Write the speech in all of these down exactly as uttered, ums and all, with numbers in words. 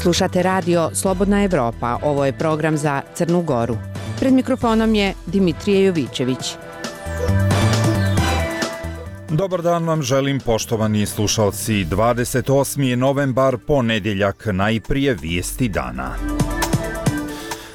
Slušate radio Slobodna Evropa, ovo je program za Crnu Goru. Pred mikrofonom je Dimitrije Jovićević. Dobar dan vam želim, poštovani slušalci. dvadeset osmi novembar, ponedjeljak, najprije vijesti dana.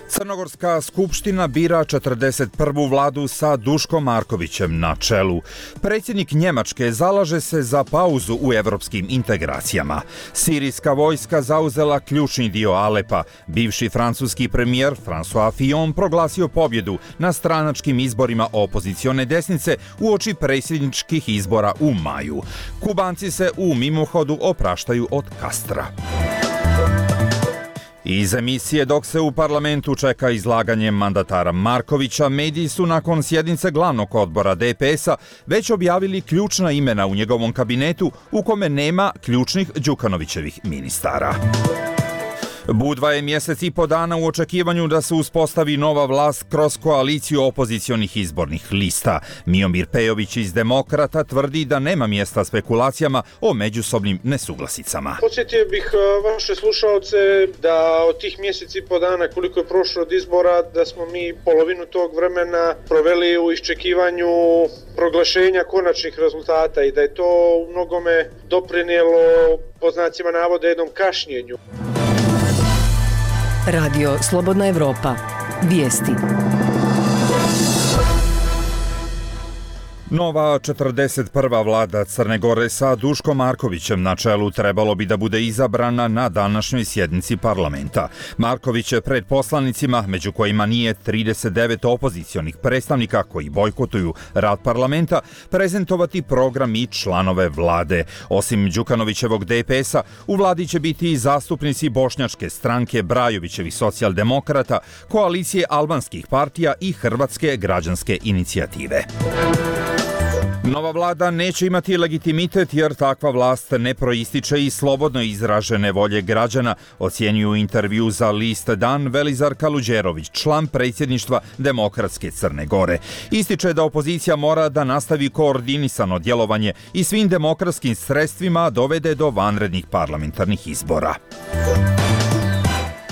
Crnogorska skupština bira četrdeset prvu vladu sa Duškom Markovićem na čelu. Predsjednik Njemačke zalaže se za pauzu u evropskim integracijama. Sirijska vojska zauzela ključni dio Alepa. Bivši francuski premijer François Fillon proglasio pobjedu na stranačkim izborima opozicione desnice uoči predsjedničkih izbora u maju. Kubanci se u mimohodu opraštaju od Castra. Iz emisije Dok se u parlamentu čeka izlaganje mandatara Markovića, mediji su nakon sjednice glavnog odbora D P S-a već objavili ključna imena u njegovom kabinetu u kome nema ključnih Đukanovićevih ministara. Budva je mjesec i po dana u očekivanju da se uspostavi nova vlast kroz koaliciju opozicionih izbornih lista. Miomir Pejović iz Demokrata tvrdi da nema mjesta spekulacijama o međusobnim nesuglasicama. Podsjetio bih vaše slušalce da od tih mjeseci i po dana koliko je prošlo od izbora, da smo mi polovinu tog vremena proveli u iščekivanju proglašenja konačnih rezultata i da je to u mnogome doprinijelo, po znacima navoda, jednom kašnjenju. Radio Slobodna Evropa. Vijesti. Nova četrdeset prva vlada Crne Gore sa Duškom Markovićem na čelu trebalo bi da bude izabrana na današnjoj sjednici parlamenta. Marković će pred poslanicima, među kojima nije trideset devet opozicionih predstavnika koji bojkotuju rad parlamenta, prezentovati program i članove vlade. Osim Đukanovićevog D P S-a, u vladi će biti i zastupnici Bošnjačke stranke, Brajovićevih socijaldemokrata, koalicije albanskih partija i Hrvatske građanske inicijative. Nova vlada neće imati legitimitet jer takva vlast ne proističe iz slobodno izražene volje građana, ocjenjuju intervju za list Dan Velizar Kaluđerović, član predsjedništva Demokratske Crne Gore. Ističe da opozicija mora da nastavi koordinisano djelovanje i svim demokratskim sredstvima dovede do vanrednih parlamentarnih izbora.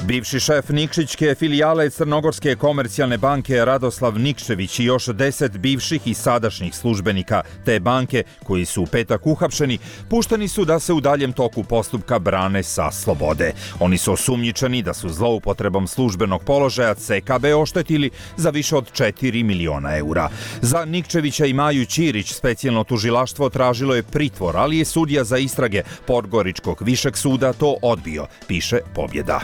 Bivši šef Nikšićke filijale Crnogorske komercijalne banke Radoslav Nikšević i još deset bivših i sadašnjih službenika te banke koji su u petak uhapšeni, pušteni su da se u daljem toku postupka brane sa slobode. Oni su osumnjičeni da su zloupotrebom službenog položaja C K B oštetili za više od četiri miliona eura. Za Nikševića i Maju Ćirić specijalno tužilaštvo tražilo je pritvor, ali je sudija za istrage Podgoričkog višeg suda to odbio, piše Pobjeda.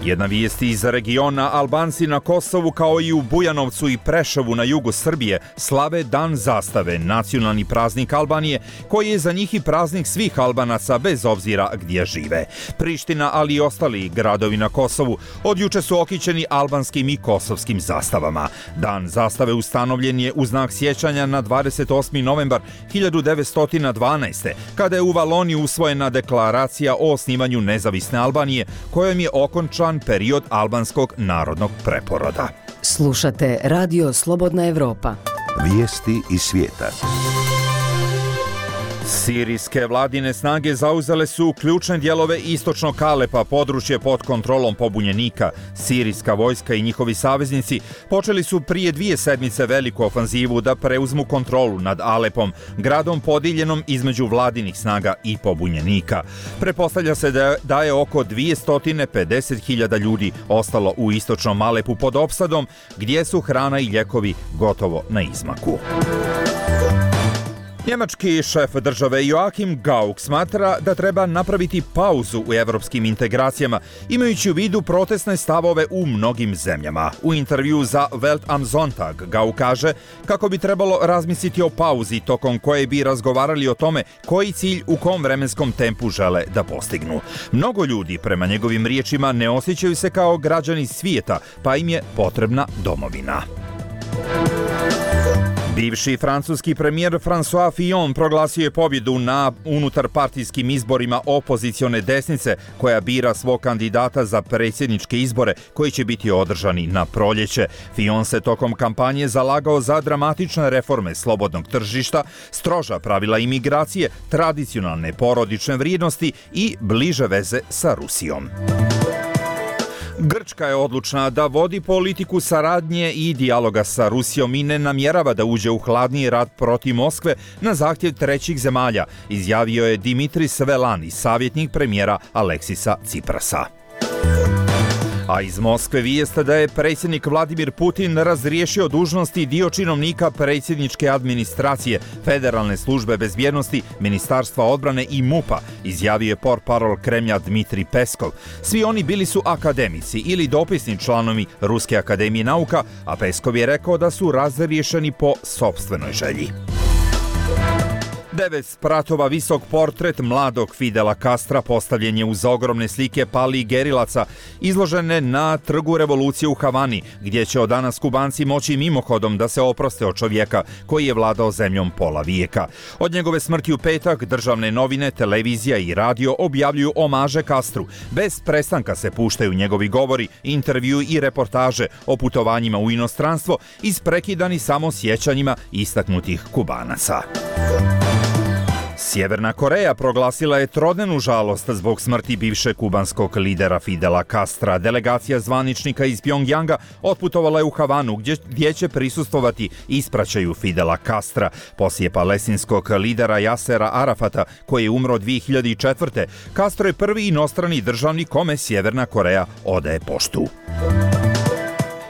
Jedna vijest iz regiona: Albanci na Kosovu kao i u Bujanovcu i Preševu na jugu Srbije slave Dan zastave, nacionalni praznik Albanije, koji je za njih i praznik svih Albanaca bez obzira gdje žive. Priština, ali i ostali gradovi na Kosovu od juče su okićeni albanskim i kosovskim zastavama. Dan zastave ustanovljen je u znak sjećanja na dvadeset osmi novembar hiljadu devetsto dvanaeste. kada je u Valoniji usvojena deklaracija o osnivanju nezavisne Albanije, kojom je okončan period albanskog narodnog preporoda. Slušate radio Slobodna Evropa. Vijesti iz svijeta. Sirijske vladine snage zauzele su ključne dijelove istočnog Alepa, područje pod kontrolom pobunjenika. Sirijska vojska i njihovi saveznici počeli su prije dvije sedmice veliku ofanzivu da preuzmu kontrolu nad Alepom, gradom podijeljenom između vladinih snaga i pobunjenika. Prepostavlja se da, da je oko dvjesto pedeset hiljada ljudi ostalo u istočnom Alepu pod opsadom, gdje su hrana i ljekovi gotovo na izmaku. Njemački šef države Joachim Gauck smatra da treba napraviti pauzu u evropskim integracijama, imajući u vidu protestne stavove u mnogim zemljama. U intervju za Welt am Sonntag Gauck kaže kako bi trebalo razmisliti o pauzi tokom koje bi razgovarali o tome koji cilj u kom vremenskom tempu žele da postignu. Mnogo ljudi, prema njegovim riječima, ne osjećaju se kao građani svijeta, pa im je potrebna domovina. Bivši francuski premijer François Fillon proglasio je pobjedu na unutarpartijskim izborima opozicione desnice koja bira svog kandidata za predsjedničke izbore koji će biti održani na proljeće. Fillon se tokom kampanje zalagao za dramatične reforme slobodnog tržišta, stroža pravila imigracije, tradicionalne porodične vrijednosti i bliže veze sa Rusijom. Grčka je odlučna da vodi politiku saradnje i dijaloga sa Rusijom i ne namjerava da uđe u hladniji rat protiv Moskve na zahtjev trećih zemalja, izjavio je Dimitris Velani, savjetnik premijera Aleksisa Ciprasa. A iz Moskve vijeste da je predsjednik Vladimir Putin razriješio dužnosti dio činovnika predsjedničke administracije, Federalne službe bezbjednosti, Ministarstva odbrane i MUP-a, izjavio je portparol Kremlja Dmitrij Peskov. Svi oni bili su akademici ili dopisni članovi Ruske akademije nauka, a Peskov je rekao da su razriješeni po sopstvenoj želji. Devet spratova visok portret mladog Fidela Castra postavljen je uz ogromne slike palih gerilaca izložene na Trgu revolucije u Havani, gdje će od danas Kubanci moći mimohodom da se oproste od čovjeka koji je vladao zemljom pola vijeka. Od njegove smrti u petak državne novine, televizija i radio objavljuju omaže Castru. Bez prestanka se puštaju njegovi govori, intervju i reportaže o putovanjima u inostranstvo, isprekidani samo sjećanjima istaknutih Kubanaca. Sjeverna Koreja proglasila je trodnevnu žalost zbog smrti bivšeg kubanskog lidera Fidela Castra. Delegacija zvaničnika iz Pjongjanga otputovala je u Havanu gdje, gdje će prisustvovati ispraćaju Fidela Castra. Poslije palestinskog lidera Jasera Arafata, koji je umro dvije hiljade četvrte. Castro je prvi inostrani državnik kome Sjeverna Koreja odaje poštu.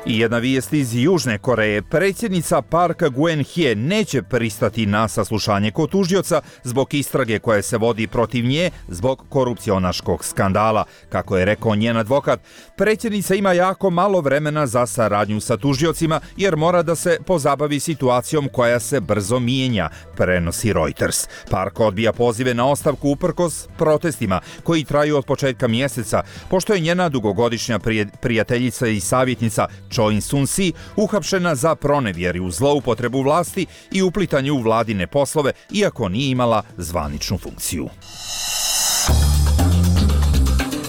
I jedna vijest iz Južne Koreje. Predsjednica Park Geun-hye neće pristati na saslušanje kod tužioca zbog istrage koja se vodi protiv nje zbog korupcionaškog skandala. Kako je rekao njen advokat, predsjednica ima jako malo vremena za saradnju sa tužiocima jer mora da se pozabavi situacijom koja se brzo mijenja, prenosi Reuters. Park odbija pozive na ostavku uprkos protestima koji traju od početka mjeseca, pošto je njena dugogodišnja prijateljica i savjetnica Choi Soon-si uhapšena za pronevjeru, zloupotrebu vlasti i uplitanje u vladine poslove, iako nije imala zvaničnu funkciju.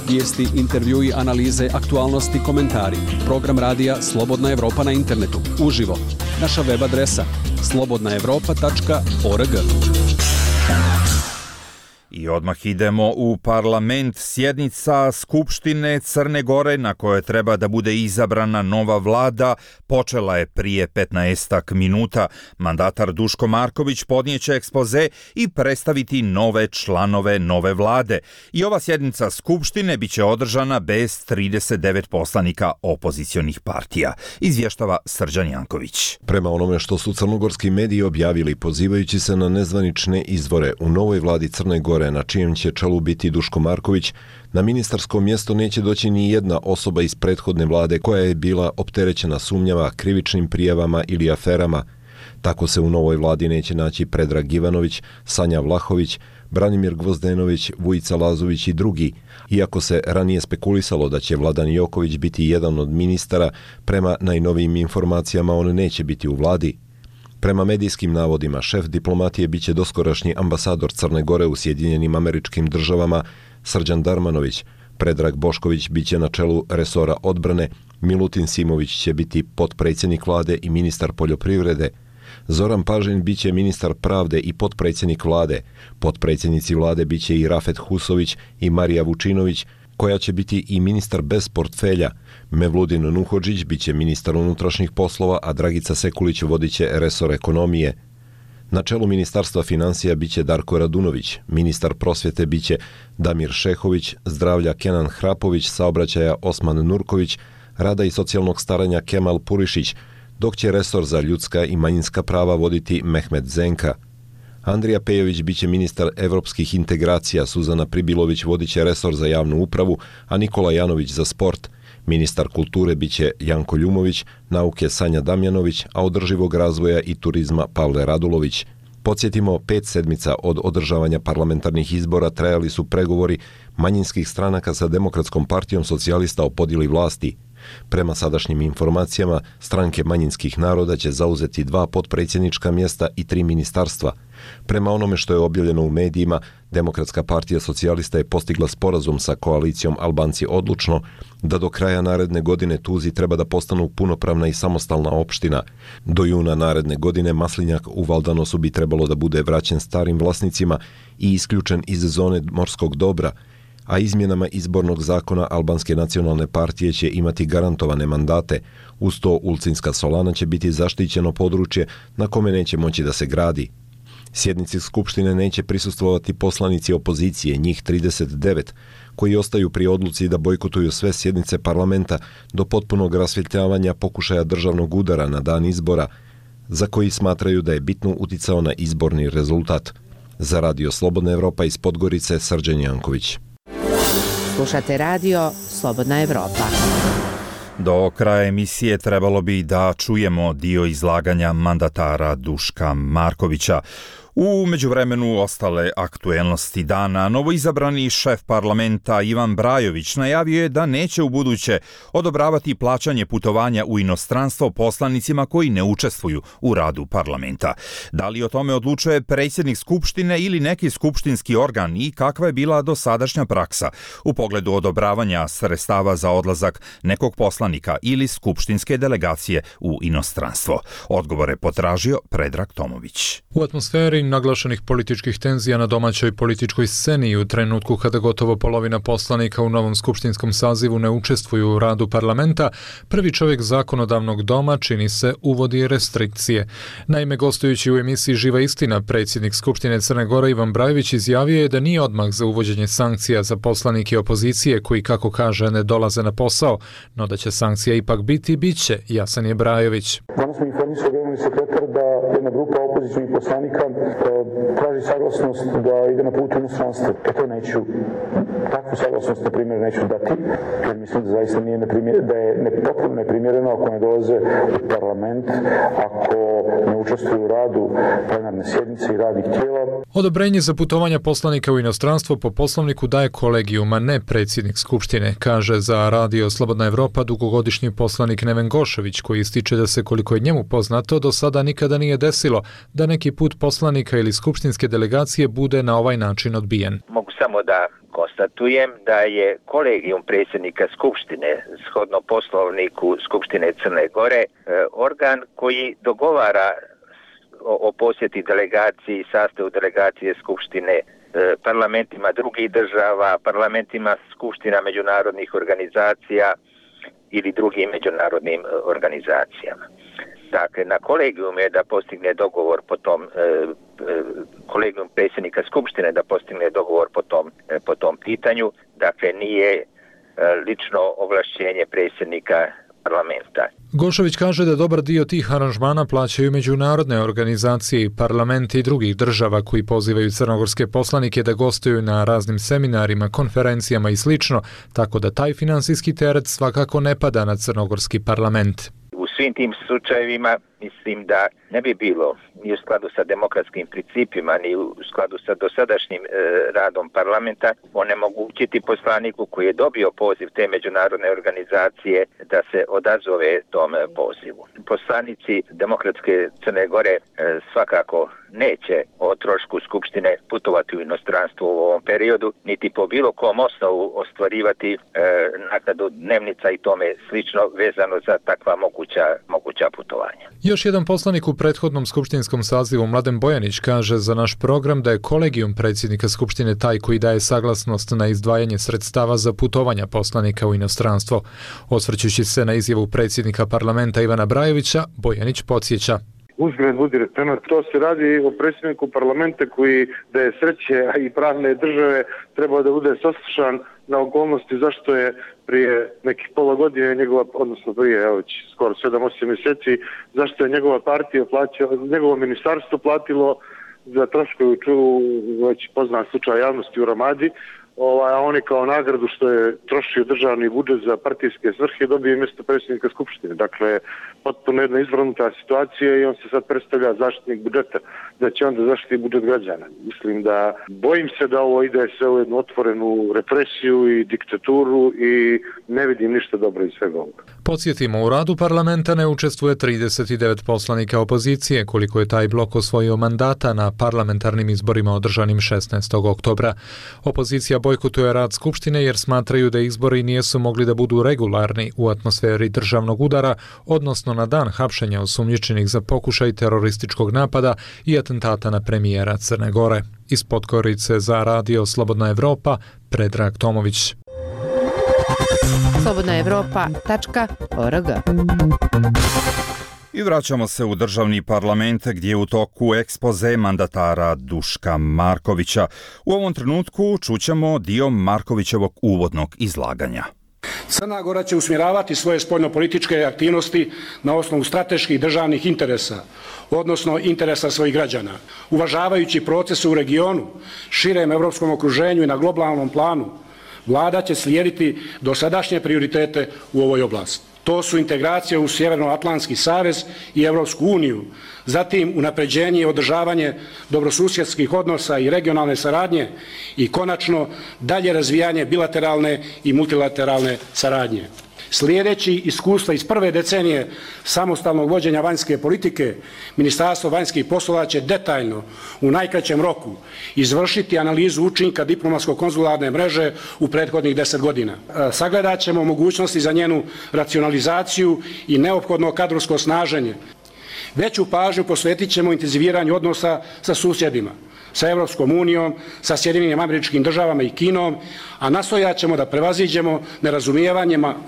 Vijesti, intervjui, analize, aktualnosti, komentari. Program radija Slobodna Evropa na internetu. Uživo. Naša web adresa slobodna evropa tačka org. I odmah idemo u parlament. Sjednica Skupštine Crne Gore na kojoj treba da bude izabrana nova vlada počela je prije petnaestak minuta. Mandatar Duško Marković podnijeće ekspoze i predstaviti nove članove nove vlade. I ova sjednica Skupštine biće održana bez trideset devet poslanika opozicionih partija, izvještava Srđan Janković. Prema onome što su crnogorski mediji objavili, pozivajući se na nezvanične izvore, u novoj vladi Crne Gore na čijem će čelu biti Duško Marković, na ministarsko mjesto neće doći ni jedna osoba iz prethodne vlade koja je bila opterećena sumnjama, krivičnim prijavama ili aferama. Tako se u novoj vladi neće naći Predrag Ivanović, Sanja Vlahović, Branimir Gvozdenović, Vujica Lazović i drugi. Iako se ranije spekulisalo da će Vladan Joković biti jedan od ministara, prema najnovijim informacijama on neće biti u vladi. Prema medijskim navodima, šef diplomatije biće doskorašnji ambasador Crne Gore u Sjedinjenim Američkim Državama Srđan Darmanović, Predrag Bošković biće na čelu resora odbrane, Milutin Simović će biti potpredsjednik vlade i ministar poljoprivrede, Zoran Pažin biće ministar pravde i potpredsjednik vlade, potpredsjednici vlade biće i Rafet Husović i Marija Vučinović, koja će biti i ministar bez portfelja. Mevludin Nuhodžić biće ministar unutrašnjih poslova, a Dragica Sekulić vodit će resor ekonomije. Na čelu ministarstva financija biće Darko Radunović, ministar prosvjete biće Damir Šehović, zdravlja Kenan Hrapović, saobraćaja Osman Nurković, rada i socijalnog staranja Kemal Purišić, dok će resor za ljudska i manjinska prava voditi Mehmet Zenka. Andrija Pejović biće ministar evropskih integracija, Suzana Pribilović vodit će resor za javnu upravu, a Nikola Janović za sport. Ministar kulture biće Janko Ljumović, nauke Sanja Damjanović, a održivog razvoja i turizma Pavle Radulović. Podsjetimo, pet sedmica od održavanja parlamentarnih izbora trajali su pregovori manjinskih stranaka sa Demokratskom partijom socijalista o podjeli vlasti. Prema sadašnjim informacijama, stranke manjinskih naroda će zauzeti dva potpredsjednička mjesta i tri ministarstva. Prema onome što je objavljeno u medijima, Demokratska partija socijalista je postigla sporazum sa koalicijom Albanci odlučno da do kraja naredne godine Tuzi treba da postanu punopravna i samostalna opština. Do juna naredne godine Maslinjak u Valdanosu bi trebalo da bude vraćen starim vlasnicima i isključen iz zone morskog dobra, a izmjenama izbornog zakona Albanske nacionalne partije će imati garantovane mandate. Uz to Ulcinska Solana će biti zaštićeno područje na kome neće moći da se gradi. Sjednici Skupštine neće prisustvovati poslanici opozicije, njih trideset devet, koji ostaju pri odluci da bojkotuju sve sjednice parlamenta do potpunog rasvjetljavanja pokušaja državnog udara na dan izbora, za koji smatraju da je bitno uticao na izborni rezultat. Za Radio Slobodna Evropa iz Podgorice, Srđan Janković. Slušate radio Slobodna Evropa. Do kraja emisije trebalo bi da čujemo dio izlaganja mandatara Duška Markovića. U međuvremenu ostale aktuelnosti dana, novoizabrani šef parlamenta Ivan Brajović najavio je da neće ubuduće odobravati plaćanje putovanja u inostranstvo poslanicima koji ne učestvuju u radu parlamenta. Da li o tome odlučuje predsjednik Skupštine ili neki skupštinski organ i kakva je bila dosadašnja praksa u pogledu odobravanja sredstava za odlazak nekog poslanika ili skupštinske delegacije u inostranstvo? Odgovore potražio Predrag Tomović. U atmosferi naglašenih političkih tenzija na domaćoj političkoj sceni u trenutku kada gotovo polovina poslanika u novom skupštinskom sazivu ne učestvuju u radu parlamenta, prvi čovjek zakonodavnog doma, čini se, uvodi restrikcije. Naime, gostujući u emisiji Živa istina, predsjednik Skupštine Crne Gore Ivan Brajović izjavio je da nije odmah za uvođenje sankcija za poslanike opozicije koji, kako kaže, ne dolaze na posao, no da će sankcija ipak biti, bit će, jasan je Brajović. Danas mi informisao generalni sekretar da jedna grupa opozicijnih poslanika traži saglasnost da ide na put u inostranstvo. E to neću, takvu saglasnost, na primjer, neću dati, jer mislim da zaista nije neprimjereno, da je ne, potpuno neprimjereno ako ne dolaze u parlament, ako ne učestvuju u radu plenarne sjednice i radnih tijela. Odobrenje za putovanja poslanika u inostranstvo po poslovniku daje kolegijum, a ne predsjednik Skupštine, kaže za Radio Slobodna Evropa dugogodišnji poslanik Neven Gošević, koji ističe da se, koliko je njemu poznato, do sada nikada nije desilo da neki put poslanika ili skupštinske delegacije bude na ovaj način odbijen. Mogu samo da konstatujem da je kolegijum predsjednika Skupštine, shodno poslovniku Skupštine Crne Gore, organ koji dogovara o, o posjeti delegaciji i sastavu delegacije Skupštine parlamentima drugih država, parlamentima skupština međunarodnih organizacija ili drugim međunarodnim organizacijama. Dakle, na kolegijum je da postigne dogovor po tom, e, kolegijum predsjednika Skupštine da postigne dogovor po tom, e, po tom pitanju. Dakle, nije e, lično ovlašćenje predsjednika parlamenta. Gošović kaže da dobar dio tih aranžmana plaćaju međunarodne organizacije, parlamenti i drugih država koji pozivaju crnogorske poslanike da gostuju na raznim seminarima, konferencijama i slično, tako da taj finansijski teret svakako ne pada na crnogorski parlament. U svim tim slučajevima mislim da ne bi bilo ni u skladu sa demokratskim principima, ni u skladu sa dosadašnjim e, radom parlamenta onemogućiti poslaniku koji je dobio poziv te međunarodne organizacije da se odazove tom pozivu. Poslanici Demokratske Crne Gore e, svakako neće o trošku Skupštine putovati u inostranstvo u ovom periodu, niti po bilo kom osnovu ostvarivati e, naknadu dnevnica i tome slično vezano za takva moguća, moguća putovanja. Još jedan poslanik u prethodnom skupštinskom sazivu, Mladen Bojanić, kaže za naš program da je kolegijum predsjednika Skupštine taj koji daje saglasnost na izdvajanje sredstava za putovanja poslanika u inostranstvo. Osvrćući se na izjavu predsjednika parlamenta Ivana Brajovića, Bojanić podsjeća. Uzgled budi rečeno, to se radi o predsjedniku parlamenta koji, da je sreće i pravne države, treba da bude saslušan na okolnosti zašto je prije nekih pola godine njegova, odnosno prije evo, skoro sedam osam mjeseci, zašto je njegova partija plaćala, njegovo ministarstvo platilo za troškovi, već poznat slučaj javnosti u Ramadi, ovaj, a oni kao nagradu što je trošio državni budžet za partijske svrhe dobije mjesto predsjednika Skupštine. Dakle, potpuno jedna izvrnuta situacija i on se sad predstavlja zaštitnik budžeta, da će onda zaštiti budžet građana. Mislim da, bojim se da ovo ide sve u jednu otvorenu represiju i diktaturu i ne vidim ništa dobro iz svega ovoga. Podsjetimo, u radu parlamenta ne učestvuje trideset devet poslanika opozicije, koliko je taj blok osvojio mandata na parlamentarnim izborima održanim šesnaestog oktobra. Opozicija bojkotuje rad Skupštine jer smatraju da izbori nisu mogli da budu regularni u atmosferi državnog udara, odnosno na dan hapšenja osumnjičenih za pokušaj terorističkog napada i atentata na premijera Crne Gore. Iz Podgorice za radio Slobodna Evropa, Predrag Tomović. slobodna evropa tačka org. I vraćamo se u državni parlament gdje je u toku ekspoze mandatara Duška Markovića. U ovom trenutku čućemo dio Markovićevog uvodnog izlaganja. Crna Gora će usmjeravati svoje spoljnopolitičke aktivnosti na osnovu strateških državnih interesa, odnosno interesa svojih građana. Uvažavajući procese u regionu, širem evropskom okruženju i na globalnom planu, Vlada će slijediti dosadašnje prioritete u ovoj oblasti. To su integracija u Sjevernoatlantski savez i Evropsku uniju, zatim unapređenje i održavanje dobrosusjedskih odnosa i regionalne saradnje i konačno dalje razvijanje bilateralne i multilateralne saradnje. Slijedeći iskustva iz prve decenije samostalnog vođenja vanjske politike, Ministarstvo vanjskih poslova će detaljno u najkraćem roku izvršiti analizu učinka diplomatsko-konzularne mreže u prethodnih deset godina. Sagledat ćemo mogućnosti za njenu racionalizaciju i neophodno kadrovsko snaženje. Veću pažnju posvetit ćemo intenziviranju odnosa sa susjedima, sa Evropskom unijom, sa Sjedinjenim Američkim Državama i Kinom, a nastojat ćemo da prevaziđemo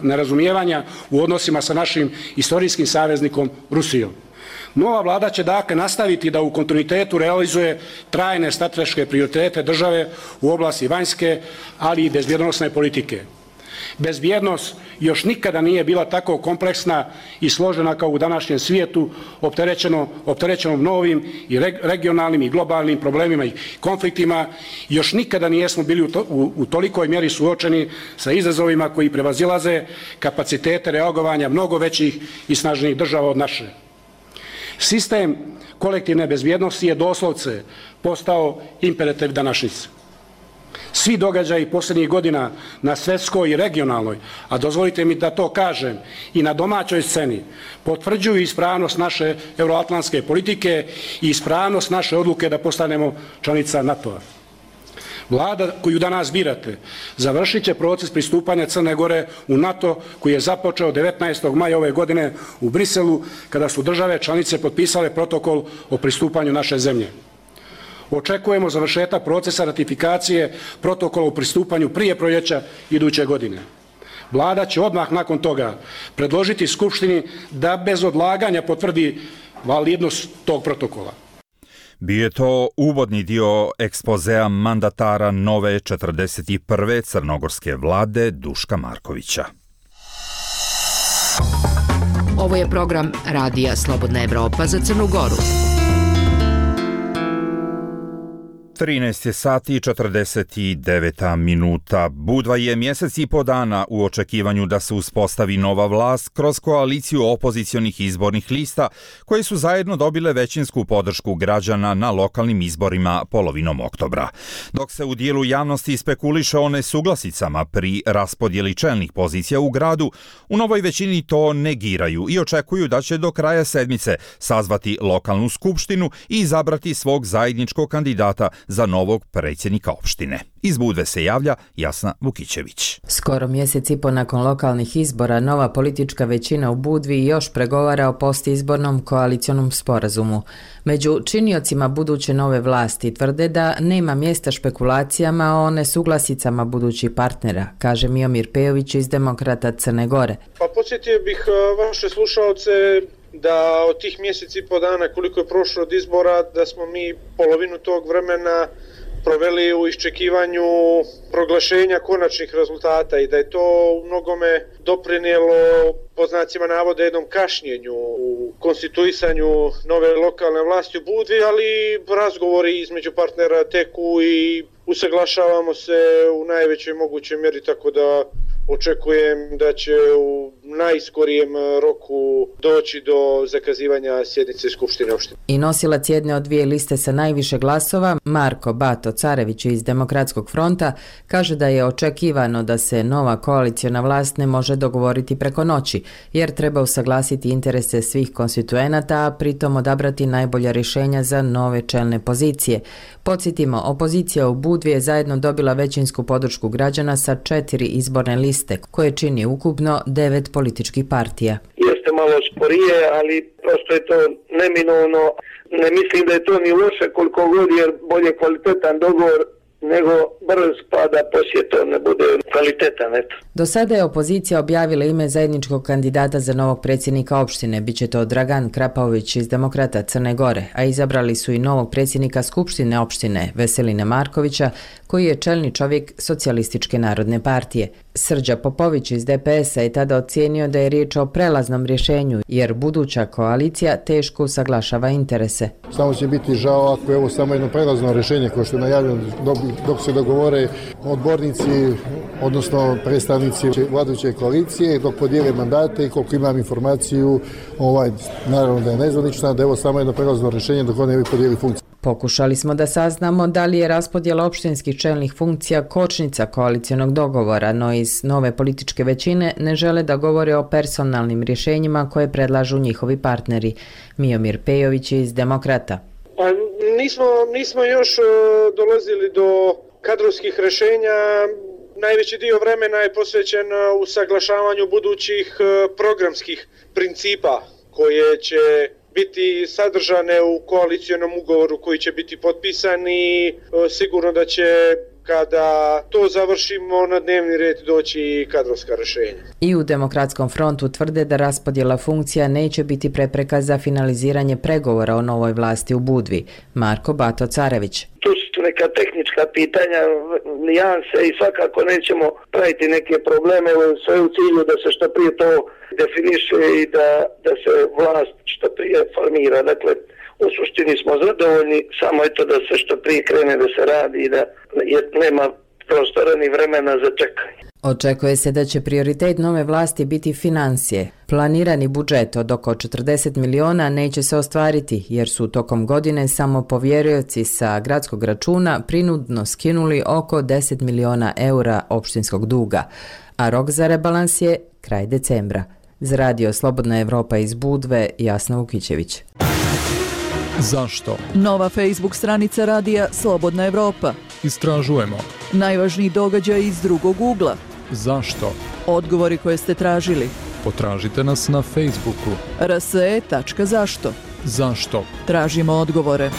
nerazumijevanja u odnosima sa našim istorijskim saveznikom Rusijom. Nova vlada će dakle nastaviti da u kontinuitetu realizuje trajne strateške prioritete države u oblasti vanjske, ali i bezbjednosne politike. Bezbjednost još nikada nije bila tako kompleksna i složena kao u današnjem svijetu, opterećeno, opterećenom novim i regionalnim i globalnim problemima i konfliktima. Još nikada nijesmo bili u, to, u, u tolikoj mjeri suočeni sa izazovima koji prevazilaze kapacitete reagovanja mnogo većih i snažnijih država od naše. Sistem kolektivne bezbjednosti je doslovce postao imperativ današnjice. Svi događaji posljednjih godina na svjetskoj i regionalnoj, a dozvolite mi da to kažem, i na domaćoj sceni, potvrđuju ispravnost naše euroatlantske politike i ispravnost naše odluke da postanemo članica NATO-a. Vlada koju danas birate završit će proces pristupanja Crne Gore u NATO koji je započeo devetnaestog maja ove godine u Briselu kada su države članice potpisale protokol o pristupanju naše zemlje. Očekujemo završetak procesa ratifikacije protokola o pristupanju prije proljeća iduće godine. Vlada će odmah nakon toga predložiti Skupštini da bez odlaganja potvrdi validnost tog protokola. Bio je to uvodni dio ekspozea mandatara nove četrdeset prve crnogorske vlade Duška Markovića. Ovo je program Radija Slobodna Evropa za Crnu Goru. trinaest je sati i četrdeset devet minuta. Budva je mjesec i po dana u očekivanju da se uspostavi nova vlast kroz koaliciju opozicionih izbornih lista koje su zajedno dobile većinsku podršku građana na lokalnim izborima polovinom oktobra. Dok se u dijelu javnosti spekuliše o nesuglasicama pri raspodjeli čelnih pozicija u gradu, u novoj većini to negiraju i očekuju da će do kraja sedmice sazvati lokalnu skupštinu i izabrati svog zajedničkog kandidata za novog predsjednika opštine. Iz Budve se javlja Jasna Vukićević. Skoro mjesec i po nakon lokalnih izbora, nova politička većina u Budvi još pregovara o postizbornom koalicionom sporazumu. Među činiocima buduće nove vlasti tvrde da nema mjesta špekulacijama o nesuglasicama budućih partnera, kaže Miomir Pejović iz Demokrata Crne Gore. Pa podsjetio bih vaše slušalce da od tih mjeseci i po dana koliko je prošlo od izbora, da smo mi polovinu tog vremena proveli u iščekivanju proglašenja konačnih rezultata i da je to u mnogome doprinijelo po znacima navoda jednom kašnjenju u konstituisanju nove lokalne vlasti u Budvi, ali razgovori između partnera teku i usaglašavamo se u najvećoj mogućoj mjeri, tako da očekujem da će u najskorijem roku doći do zakazivanja sjednice Skupštine opštine. I nosilac jedne od dvije liste sa najviše glasova, Marko Bato Carević iz Demokratskog fronta, kaže da je očekivano da se nova koaliciona vlast ne može dogovoriti preko noći, jer treba usaglasiti interese svih konstituenata, a pritom odabrati najbolja rješenja za nove čelne pozicije. Podsjetimo, opozicija u Budvi je zajedno dobila većinsku podršku građana sa četiri izborne liste, koje čini ukupno devet političkih partija. Jeste malo sporije, ali prosto je to neminovno. Ne mislim da je to ni loše koliko god, jer bolje kvalitetan dogovor nego brz pa da poslije to ne bude kvalitetan. Eto. Do sada je opozicija objavila ime zajedničkog kandidata za novog predsjednika opštine. Biće to Dragan Krapović iz Demokrata Crne Gore, a izabrali su i novog predsjednika Skupštine opštine Veselina Markovića, koji je čelni čovjek Socijalističke narodne partije. Srđa Popović iz D P S-a je tada ocijenio da je riječ o prelaznom rješenju, jer buduća koalicija teško usaglašava interese. Samo će biti žao ako je ovo samo jedno prelazno rješenje koje što je najavljeno dok, dok se dogovore odbornici, odnosno predstavnici vladajuće koalicije, dok podijele mandate i koliko imam informaciju, ovaj, naravno da je nezvanična, da je ovo samo jedno prelazno rješenje dok oni ne bi podijeli funkciju. Pokušali smo da saznamo da li je raspodjela opštinskih čelnih funkcija kočnica koalicionog dogovora, no iz nove političke većine ne žele da govore o personalnim rješenjima koje predlažu njihovi partneri. Miomir Pejović iz Demokrata. Pa nismo, nismo još uh, dolazili do kadrovskih rješenja. Najveći dio vremena je posvećen usaglašavanju budućih uh, programskih principa koje će biti sadržane u koalicionom ugovoru koji će biti potpisan i sigurno da će kada to završimo na dnevni red doći kadrovska rješenja. I u Demokratskom frontu tvrde da raspodjela funkcija neće biti prepreka za finaliziranje pregovora o novoj vlasti u Budvi. Marko Bato Carević. Tu su neka tehnička pitanja, nijanse i svakako nećemo praviti neke probleme, sve u cilju da se što prije to definiše i da, da se vlast što prije formira. Dakle, u suštini smo zadovoljni, samo eto da se što prije krene da se radi i da je, nema prostora ni vremena za čekanje. Očekuje se da će prioritet nove vlasti biti financije. Planirani budžet od oko četrdeset miliona neće se ostvariti, jer su tokom godine samo povjerioci sa gradskog računa prinudno skinuli oko deset miliona eura opštinskog duga, a rok za rebalans je kraj decembra. Za radio Slobodna Evropa iz Budve, Jasna Vukićević. Zašto? Nova Facebook stranica radija Slobodna Evropa. Istražujemo. Najvažniji događaj iz drugog ugla. Zašto? Odgovori koje ste tražili. Potražite nas na Facebooku. r s e tačka zašto. Zašto? Tražimo odgovore.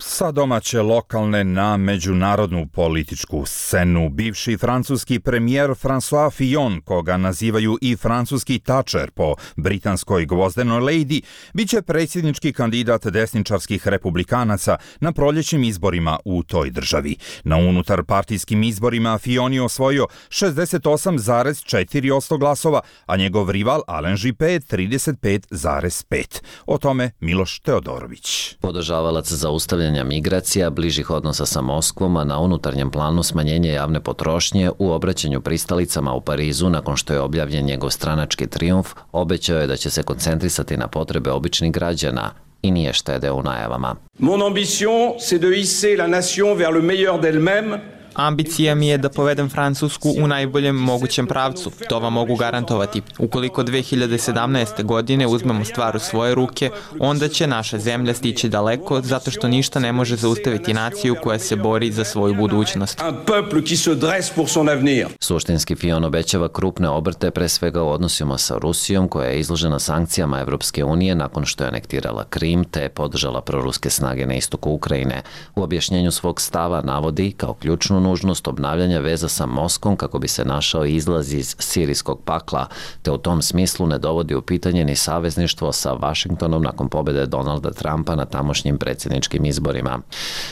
Sa domaće lokalne na međunarodnu političku scenu, bivši francuski premijer François Fillon, koga nazivaju i francuski Thatcher po britanskoj gvozdenoj lady, bit će predsjednički kandidat desničarskih republikanaca na proljećnim izborima u toj državi. Na unutar partijskim izborima Fillon je osvojio šezdeset osam zarez četiri posto glasova, a njegov rival Alain Juppé trideset pet zarez pet. O tome Miloš Teodorović. Podržavalac zaustavljanja migracija, bližih odnosa sa Moskvom, a na unutarnjem planu smanjenje javne potrošnje u obraćanju pristalicama u Parizu nakon što je objavljen njegov stranački trijumf, obećao je da će se koncentrisati na potrebe običnih građana i nije štedeo u najavama. Mon ambition, c'est de hisser la nation vers le meilleur d'elle-même. Ambicija mi je da povedem Francusku u najboljem mogućem pravcu. To vam mogu garantovati. Ukoliko dve hiljade sedamnaeste. godine uzmemo stvar u svoje ruke, onda će naša zemlja stići daleko, zato što ništa ne može zaustaviti naciju koja se bori za svoju budućnost. Un peuple qui se dresse pour son avenir. Suštinski Fillon obećava krupne obrte, pre svega u odnosima sa Rusijom, koja je izložena sankcijama Evropske unije nakon što je anektirala Krim te podržala proruske snage na istoku Ukrajine. U objašnjenju svog stava navodi kao ključnu nužnost obnavljanja veza sa Moskvom kako bi se našao izlaz iz sirijskog pakla, te u tom smislu ne dovodi u pitanje ni savezništvo sa Vašingtonom nakon pobjede Donalda Trumpa na tamošnjim predsjedničkim izborima.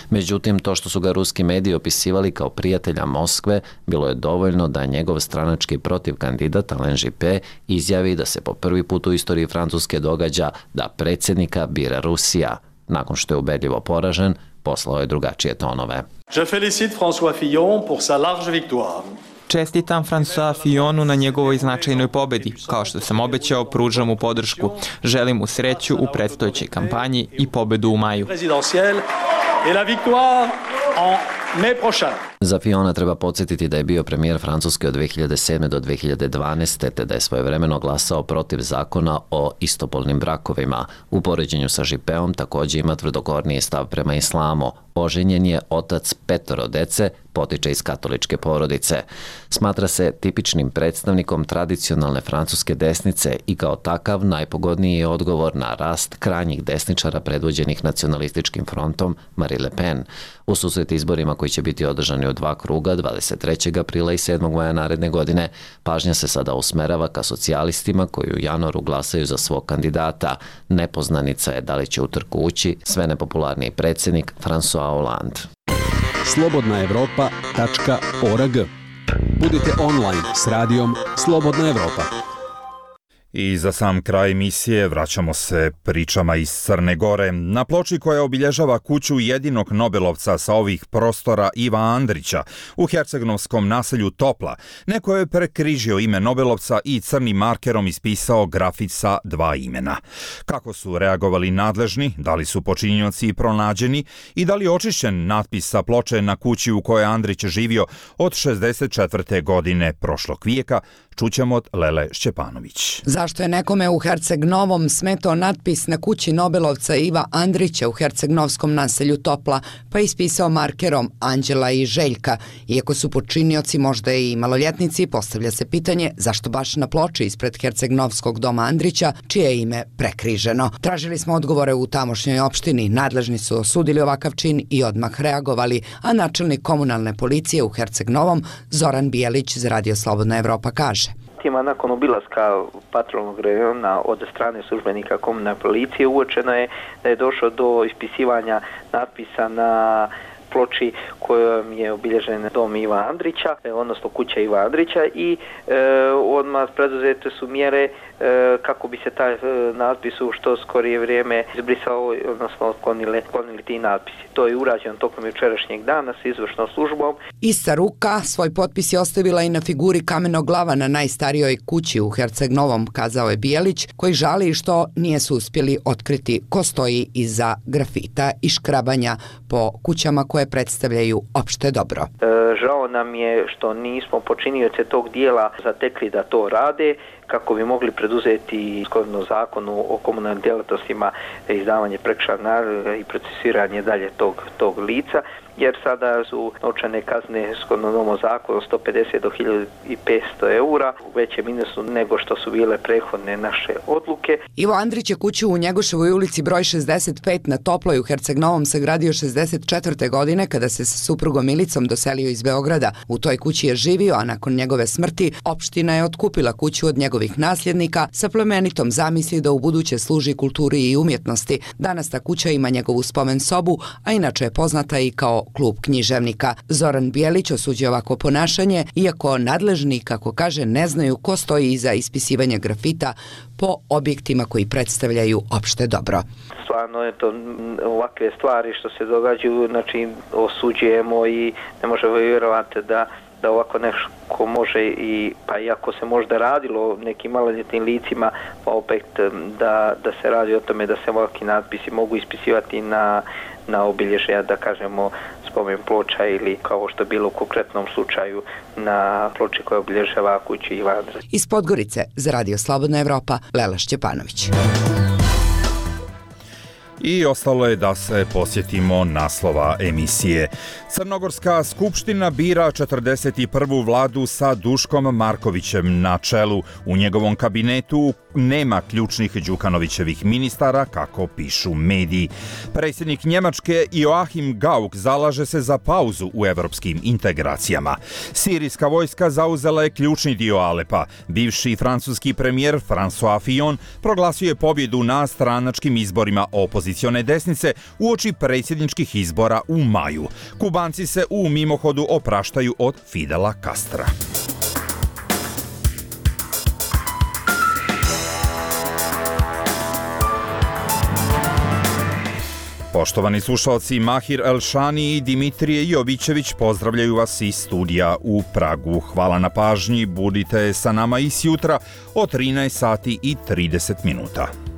Međutim, to što su ga ruski mediji opisivali kao prijatelja Moskve, bilo je dovoljno da njegov stranački protivkandidat Alain Juppé izjavi da se po prvi put u istoriji Francuske događa da predsjednika bira Rusija. Nakon što je ubedljivo poražen, poslao je drugačije tonove. Je félicite François Fillon pour sa large victoire. Čestitam François Fillonu na njegovoj značajnoj pobedi. Kao što sam obećao, pružam mu podršku. Želim mu sreću u predstojećoj kampanji i pobedu u maju. Et la victoire en mai prochain. Za Fillona treba podsjetiti da je bio premijer Francuske od dve hiljade sedme do dve hiljade dvanaeste te da je svojevremeno glasao protiv zakona o istopolnim brakovima. U poređenju sa Juppéom također ima tvrdokorniji stav prema islamu. Oženjen je, otac petoro dece, potiče iz katoličke porodice. Smatra se tipičnim predstavnikom tradicionalne francuske desnice i kao takav najpogodniji je odgovor na rast krajnjih desničara predvođenih nacionalističkim frontom Marine Le Pen. U susret izborima koji će biti održani u dva kruga dvadeset trećeg aprila i sedmog maja naredne godine, pažnja se sada usmerava ka socijalistima koji u januaru glasaju za svog kandidata. Nepoznanica je da li će u trku ući sve nepopularniji predsjednik François Hollande. slobodna evropa tačka org. Budite online s radijom Slobodna Evropa. I za sam kraj emisije vraćamo se pričama iz Crne Gore. Na ploči koja obilježava kuću jedinog Nobelovca sa ovih prostora Iva Andrića u hercegnovskom naselju Topla, neko je prekrižio ime Nobelovca i crnim markerom ispisao grafit sa dva imena. Kako su reagovali nadležni, da li su počinioci pronađeni i da li je očišćen natpis sa ploče na kući u kojoj Andrić živio od šezdeset četvrte godine prošlog vijeka, čućemo od Lele Šćepanović. Zašto je nekome u Herceg-Novom smetao natpis na kući Nobelovca Iva Andrića u hercegnovskom naselju Topla, pa ispisao markerom Anđela i Željka? Iako su počinioci možda i maloljetnici, postavlja se pitanje zašto baš na ploči ispred hercegnovskog doma Andrića, čije je ime prekriženo. Tražili smo odgovore u tamošnjoj opštini, nadležni su osudili ovakav čin i odmah reagovali, a načelnik komunalne policije u Herceg-Novom Zoran Bijelić za Radio Slobodna Evropa kaže. Nakon obilaska patrolnog rejona od strane službenika komunalne policije uočeno je da je došlo do ispisivanja natpisa na ploči kojom je obilježen dom Iva Andrića, odnosno kuća Iva Andrića i e, odmah preduzete su mjere e, kako bi se taj e, natpis u što skorije vrijeme izbrisao, odnosno otklonili, otklonili ti natpisi. To je urađeno tokom jučerašnjeg dana s izvršnom službom. Ista ruka svoj potpis je ostavila i na figuri kamenog glava na najstarijoj kući u Herceg-Novom, kazao je Bijelić, koji žali što nije su uspjeli otkriti ko stoji iza grafita i škrabanja po kućama koje predstavljaju opšte dobro. E, žao nam je što nismo počinioce tog dijela zatekli da to rade, kako bi mogli preduzeti shodno zakonu o komunalnim djelatnostima izdavanje prekršajnog naloga i procesuiranje dalje tog, tog lica, jer sada su novčane kazne shodno novom zakonu sto pedeset do hiljadu petsto eura u većem minusu nego što su bile prethodne naše odluke. Ivo Andrić je kuću u Njegoševoj ulici broj šezdeset pet na Toploj u Herceg-Novom sagradio šezdeset četvrte godine kada se sa suprugom Milicom doselio iz Beograda. U toj kući je živio, a nakon njegove smrti opština je otkupila kuću od njegovih nasljednika sa plemenitom zamisli da u buduće služi kulturi i umjetnosti. Danas ta kuća ima njegovu spomen sobu, a inače je poznata i kao klub književnika. Zoran Bijelić osuđuje ovako ponašanje, iako nadležni, kako kaže, ne znaju ko stoji iza ispisivanja grafita po objektima koji predstavljaju opšte dobro. Stvarno je to ovakve stvari što se događaju, znači osuđujemo i ne možemo vjerovati da da ovako nešto može i pa iako se možda radilo o nekim maloljetnim licima, pa opet da, da se radi o tome da se ovakvi natpisi mogu ispisivati na, na obilježja, da kažemo, spomen ploča ili kao što je bilo u konkretnom slučaju na ploči koja obilježava kuću Iva Andrića. Iz Podgorice za Radio Slobodna Evropa, Lela Šćepanović. I ostalo je da se posjetimo naslova emisije. Crnogorska skupština bira četrdeset prvu vladu sa Duškom Markovićem na čelu. U njegovom kabinetu nema ključnih Đukanovićevih ministara, kako pišu mediji. Predsjednik Njemačke Joachim Gauck zalaže se za pauzu u evropskim integracijama. Sirijska vojska zauzela je ključni dio Alepa. Bivši francuski premijer François Fillon proglasio je pobjedu na stranačkim izborima opozicione desnice uoči predsjedničkih izbora u maju. Kubanci se u mimohodu opraštaju od Fidela Castra. Poštovani slušalci, Mahir Elšani i Dimitrije Jovićević pozdravljaju vas iz studija u Pragu. Hvala na pažnji, budite sa nama i sjutra o trinaest sati i trideset minuta.